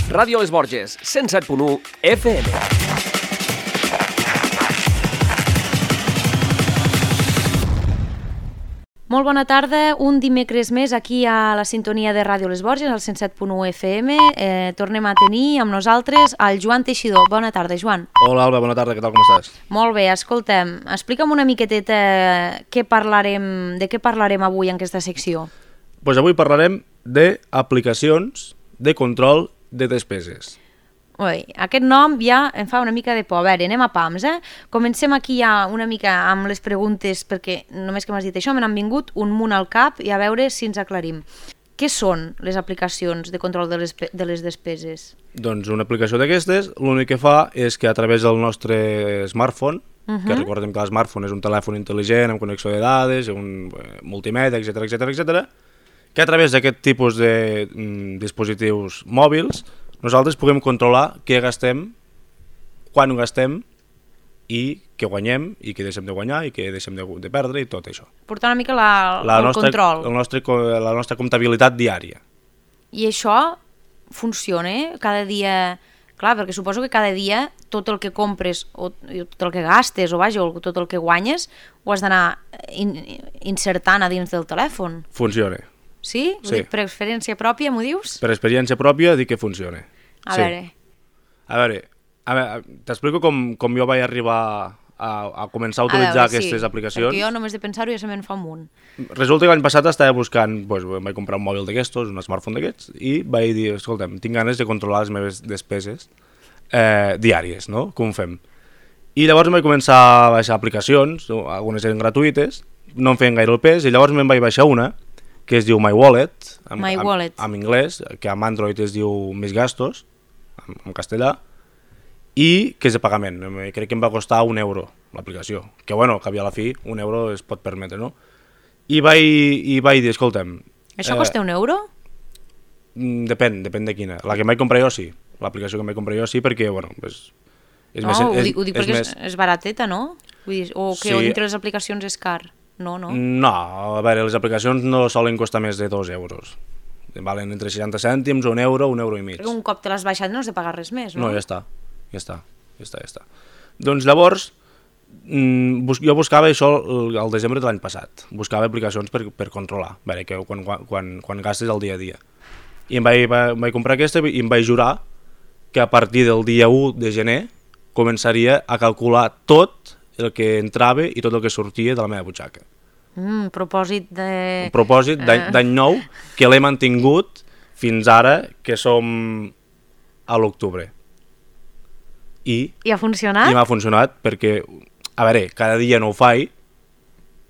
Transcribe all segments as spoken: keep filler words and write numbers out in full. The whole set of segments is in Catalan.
Ràdio Les Borges, cent set punt u F M. Molt bona tarda, un dimecres més aquí a la sintonia de Ràdio Les Borges, al cent set punt u F M. Eh, tornem a tenir amb nosaltres el Joan Teixidor. Bona tarda, Joan. Hola, Alba, bona tarda, què tal, com estàs? Molt bé, escolta'm, explica'm una miqueteta què parlarem, de què parlarem avui en aquesta secció. Pues avui parlarem d'aplicacions de control de despeses. Ui, aquest nom ja em fa una mica de por. A veure, anem a pams, eh? Comencem aquí ja una mica amb les preguntes, perquè només que m'has dit això me n'han vingut un munt al cap i a veure si ens aclarim. Què són les aplicacions de control de les, de les despeses? Doncs una aplicació d'aquestes l'únic que fa és que a través del nostre smartphone, uh-huh. que recordem que el smartphone és un telèfon intel·ligent amb connexió de dades, un eh, multimèdia, etcètera, etcètera, etcètera, que a través d'aquest tipus de mm, dispositius mòbils nosaltres puguem controlar què gastem, quan ho gastem i què guanyem i què deixem de guanyar i què deixem de, de perdre i tot això. Portar una mica la, la el nostra, control. El nostre, la nostra comptabilitat diària. I això funciona eh? Cada dia... Clar, perquè suposo que cada dia tot el que compres o tot el que gastes o vaja, o tot el que guanyes ho has d'anar in, insertant a dins del telèfon. Funciona. Sí? Sí. Per experiència pròpia, m'ho dius? Per experiència pròpia dic que funciona. A sí. veure... A veure, a veure t'explico com, com jo vaig arribar a, a començar a utilitzar a veure, aquestes sí, aplicacions. Perquè jo només de pensar-ho ja se me'n fa un munt. Resulta que l'any passat estava buscant, doncs, vaig comprar un mòbil d'aquestos, un smartphone d'aquests, i vaig dir, escolta'm, tinc ganes de controlar les meves despeses eh, diàries, no? Com ho fem? I llavors em vaig començar a baixar aplicacions, algunes eren gratuïtes, no em feien gaire el pes, i llavors me'n vaig baixar una, que es diu My Wallet, en, My Wallet. en, en anglès, que en Android es diu Mis Gastos, en, en castellà, i que és de pagament. Crec que em va costar un euro l'aplicació, que bueno, que a la fi un euro es pot permetre, no? I vaig, i vaig dir, escolta'm... Això eh, costa un euro? Depèn, depèn de quina. La que em vaig comprar jo sí, l'aplicació que em vaig comprar jo sí, perquè, bueno, és... és no, més, ho, és, dic, ho dic és perquè més... és, és barateta, no? Vull dir, o que sí. dintre les aplicacions és car. No, no. No, a veure, les aplicacions no solen costar més de dos euros. Valen entre seixanta cèntims, un euro, un euro i mig. Un cop te l'has baixat no has de pagar res més, no? No, ja està, ja està, ja està, ja està. Doncs llavors, bus jo buscava això al desembre de l'any passat. Buscava aplicacions per, per controlar, a veure, que quan, quan, quan gastes el dia a dia. I em vaig, em vaig comprar aquesta i em vaig jurar que a partir del dia u de gener començaria a calcular tot el que entrava i tot el que sortia de la meva butxaca. Mm, propòsit de... Un propòsit d'any nou que l'he mantingut fins ara, que som a l'octubre. I, I ha funcionat? I m'ha funcionat perquè, a veure, cada dia no ho faig,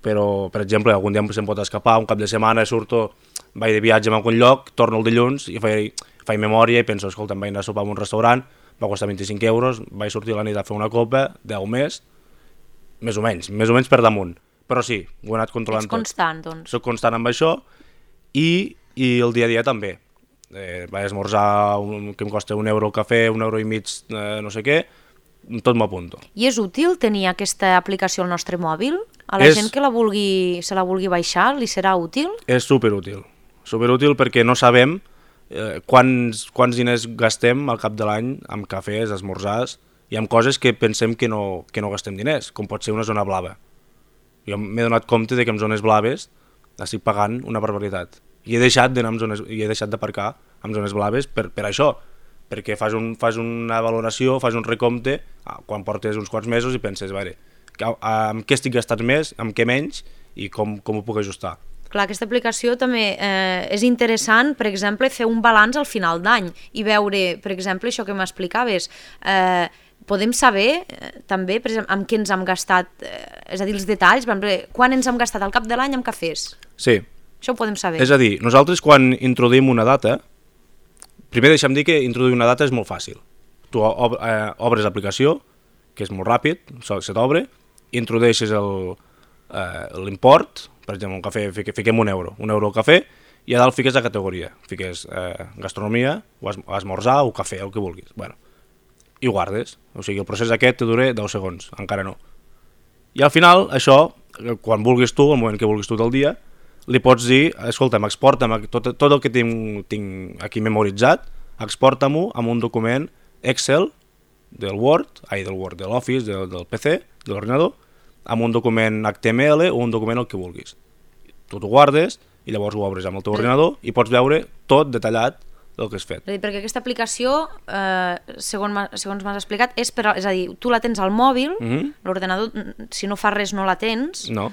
però, per exemple, algun dia se'm pot escapar, un cap de setmana surto, vaig de viatge a algun lloc, torno el dilluns i faig, faig memòria i penso, escolta, em vaig anar a sopar a un restaurant, va costar vint-i-cinc euros, vaig sortir a la nit a fer una copa, deu més, més o menys, més o menys per damunt. Però sí, ho he anat controlant tot. Ets constant, doncs. Soc constant amb això i, i el dia a dia també. Eh, vaig esmorzar un, que em costa un euro el cafè, un euro i mig, eh, no sé què, tot m'apunto. I és útil tenir aquesta aplicació al nostre mòbil? A la és, gent que la vulgui, se la vulgui baixar, li serà útil? És superútil. Superútil perquè no sabem eh, quants, quants diners gastem al cap de l'any amb cafès, esmorzars, i amb coses que pensem que no, que no gastem diners, com pot ser una zona blava. Jo m'he donat compte de que en zones blaves estic pagant una barbaritat. I he deixat d'anar en zones, i he deixat d'aparcar en zones blaves per, per això, perquè fas, un, fas una valoració, fas un recompte quan portes uns quants mesos i penses, a veure, amb què estic gastant més, amb què menys i com, com ho puc ajustar. Clar, aquesta aplicació també eh, és interessant, per exemple, fer un balanç al final d'any i veure, per exemple, això que m'explicaves, eh, podem saber eh, també, per exemple, amb què ens hem gastat, eh, és a dir, els detalls, per exemple, quan ens hem gastat al cap de l'any amb cafès. Sí. Això ho podem saber. És a dir, nosaltres quan introduïm una data, primer deixem dir que introduir una data és molt fàcil. Tu ob eh, obres l'aplicació, que és molt ràpid, se t'obre, introdueixes l'import, per exemple, un cafè, fique, fiquem un euro, un euro al cafè, i a dalt fiques la categoria, fiques eh, gastronomia, o, es, o esmorzar, o cafè, el que vulguis. Bueno, i ho guardes, o sigui, el procés aquest te dura deu segons, encara no. I al final, això, quan vulguis tu, al moment que vulguis tu del dia, li pots dir, escolta, m'exporta'm tot, tot el que tinc, tinc aquí memoritzat, exporta-m'ho amb un document Excel del Word, ai, del Word, de l'Office, del, del P C, de l'ordinador, amb un document H T M L o un document el que vulguis. Tu t'ho guardes i llavors ho obres amb el teu ordinador i pots veure tot detallat del que has fet. És a dir, perquè aquesta aplicació, eh, segons, segons m'has explicat, és, per, és a dir, tu la tens al mòbil, mm-hmm. l'ordenador, si no fa res no la tens, no.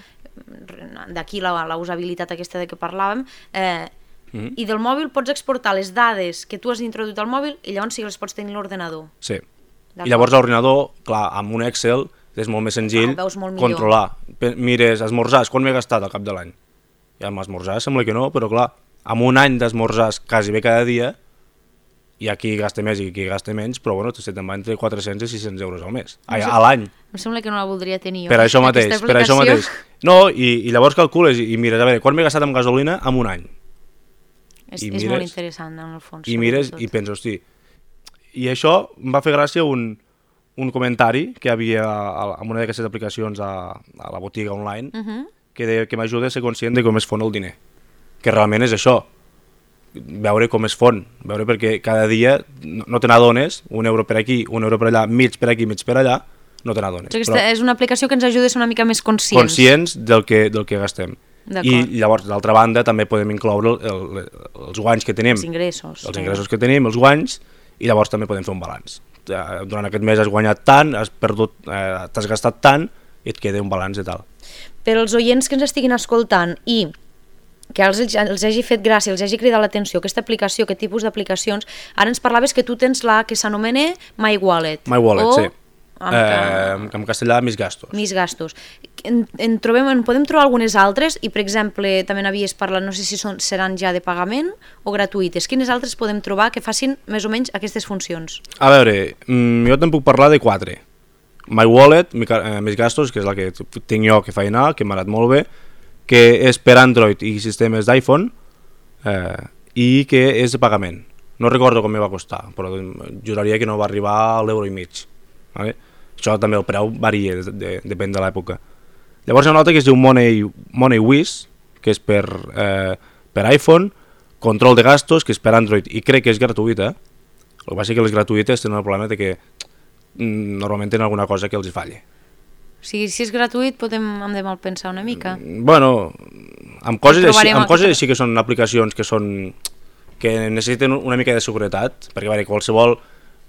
D'aquí la, la usabilitat aquesta de què parlàvem, eh, mm-hmm. i del mòbil pots exportar les dades que tu has introduït al mòbil i llavors sí que les pots tenir a l'ordenador. Sí. I llavors l'ordinador, clar, amb un Excel és molt més senzill ah, molt controlar. Mires, esmorzars, quan m'he gastat al cap de l'any? I amb esmorzars sembla que no, però clar, amb un any d'esmorzars quasi bé cada dia, hi ha qui gasta més i qui gasta menys, però bueno, se te'n va entre quatre-cents i sis-cents euros al mes, a, a l'any. Em sembla que no la voldria tenir jo. Per això mateix, per això mateix. No, i, i llavors calcules i, i mires, a veure, quan m'he gastat amb gasolina en un any? És, és mires, molt interessant, en el fons. I mires tot. I penses, hosti, i això em va fer gràcia un, un comentari que hi havia a, a una d'aquestes aplicacions a, a la botiga online, uh-huh. que deia que m'ajuda a ser conscient de com es fon el diner. Que realment és això, veure com es fon, veure perquè cada dia no, no te n'adones, un euro per aquí, un euro per allà, mig per aquí, mig per allà, no te n'adones. Aquesta és una aplicació que ens ajuda a ser una mica més conscients. Conscients del que, del que gastem. I llavors, d'altra banda, també podem incloure el, el, els guanys que tenim. Els ingressos. Els ingressos que tenim, els guanys, i llavors també podem fer un balanç. Durant aquest mes has guanyat tant, has perdut, eh, t'has gastat tant, i et queda un balanç i tal. Per als oients que ens estiguin escoltant i que els, els hagi fet gràcia, els hagi cridat l'atenció aquesta aplicació, aquest tipus d'aplicacions, ara ens parlaves que tu tens la que s'anomena My Wallet. My Wallet, o, sí. En, eh, en castellà, Mis Gastos. Mis Gastos. En, en, trobem, en podem trobar algunes altres i, per exemple, també n'havies parlat, no sé si són, seran ja de pagament o gratuïtes. Quines altres podem trobar que facin més o menys aquestes funcions? A veure, jo te'n puc parlar de quatre. My Wallet, Mis Gastos, que és la que tinc jo que fa anar, que m'ha anat molt bé, que és per Android i sistemes d'iPhone eh, i que és de pagament. No recordo com me va costar, però juraria que no va arribar a l'euro i mig. Vale? Això també el preu varia, de, de, depèn de l'època. Llavors hi ha una altra que es diu Money, MoneyWiz, que és per, eh, per iPhone, control de gastos, que és per Android, i crec que és gratuïta. El que passa és que les gratuïtes tenen el problema de que mm, normalment tenen alguna cosa que els hi falle. O sigui, si és gratuït podem, hem de mal pensar una mica. Bueno, amb coses, així, amb coses així que són aplicacions que són que necessiten una mica de seguretat, perquè a veure, qualsevol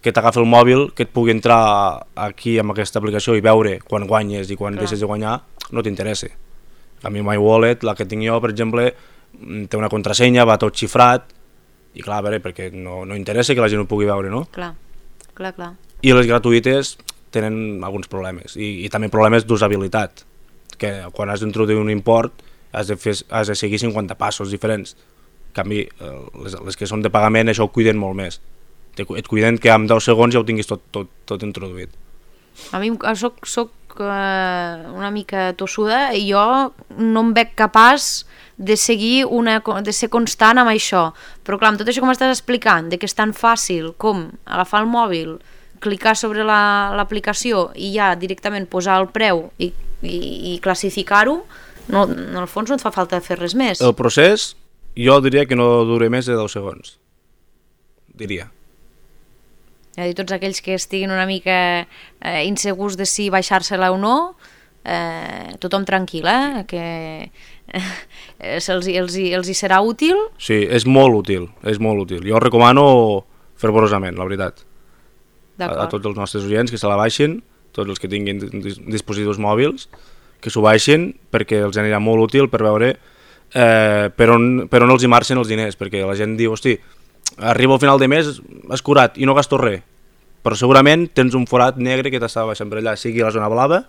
que t'agafi el mòbil, que et pugui entrar aquí amb aquesta aplicació i veure quan guanyes i quan Clar. deixes de guanyar, no t'interessa. A mi My Wallet, la que tinc jo, per exemple, té una contrasenya, va tot xifrat, i clar, a veure, perquè no, no interessa que la gent ho pugui veure, no? Clar, clar, clar. I les gratuïtes tenen alguns problemes, i, i també problemes d'usabilitat, que quan has d'introduir un import has de, fer, has de seguir cinquanta passos diferents. En canvi, les, les que són de pagament això ho cuiden molt més. Et cuiden que en deu segons ja ho tinguis tot, tot, tot introduït. A mi soc, soc uh, una mica tossuda i jo no em veig capaç de seguir una, de ser constant amb això, però clar, amb tot això que m'estàs explicant, de que és tan fàcil com agafar el mòbil, clicar sobre l'aplicació la, i ja directament posar el preu i, i, i classificar-ho, no, en el fons no et fa falta fer res més. El procés jo diria que no dura més de deu segons, diria. És a dir, tots aquells que estiguin una mica eh, insegurs de si baixar-se-la o no, eh, tothom tranquil, eh? que eh, els, els, els hi serà útil. Sí, és molt útil, és molt útil. Jo recomano fervorosament, la veritat. A, a tots els nostres oients que se la baixin, tots els que tinguin dispositius mòbils, que s'ho baixin perquè els anirà molt útil per veure eh, per, on, per on els hi marxen els diners, perquè la gent diu, hosti, arriba al final de mes, has curat i no gasto res, però segurament tens un forat negre que t'està baixant per allà, sigui la zona blava,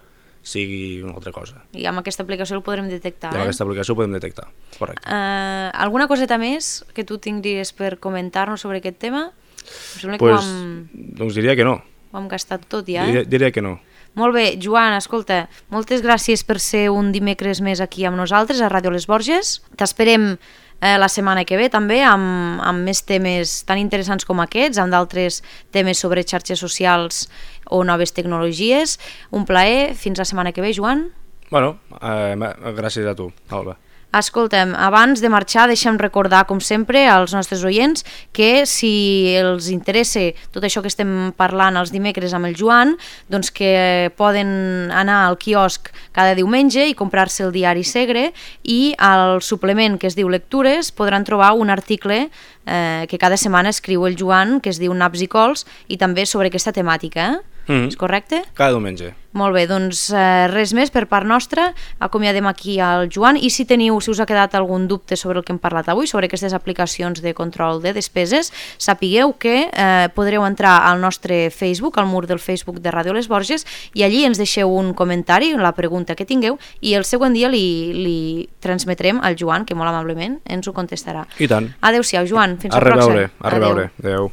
sigui una altra cosa. I amb aquesta aplicació el podrem detectar. I amb eh? aquesta aplicació ho podem detectar, correcte. Uh, alguna coseta més que tu tinguis per comentar-nos sobre aquest tema? Pues, ho hem... Doncs diria que no. Ho hem gastat tot ja, eh? Diria, diria que no. Molt bé, Joan, escolta, moltes gràcies per ser un dimecres més aquí amb nosaltres a Ràdio Les Borges. T'esperem eh, la setmana que ve també amb, amb més temes tan interessants com aquests, amb d'altres temes sobre xarxes socials o noves tecnologies. Un plaer, fins la setmana que ve, Joan. Bueno, eh, gràcies a tu, Alba. Escoltem, abans de marxar deixem recordar, com sempre, als nostres oients que si els interessa tot això que estem parlant els dimecres amb el Joan, doncs que poden anar al quiosc cada diumenge i comprar-se el diari Segre, i al suplement que es diu Lectures podran trobar un article eh, que cada setmana escriu el Joan, que es diu Naps i Cols, i també sobre aquesta temàtica, eh? Mm-hmm. És correcte? Cada diumenge. Molt bé, doncs eh, res més per part nostra, acomiadem aquí al Joan, i si teniu, si us ha quedat algun dubte sobre el que hem parlat avui, sobre aquestes aplicacions de control de despeses, sapigueu que eh, podreu entrar al nostre Facebook, al mur del Facebook de Ràdio Les Borges, i allí ens deixeu un comentari, la pregunta que tingueu, i el següent dia li, li transmetrem al Joan, que molt amablement ens ho contestarà. I tant. Adéu-siau, Joan, fins a al pròxim. A reveure, a reveure. Adéu.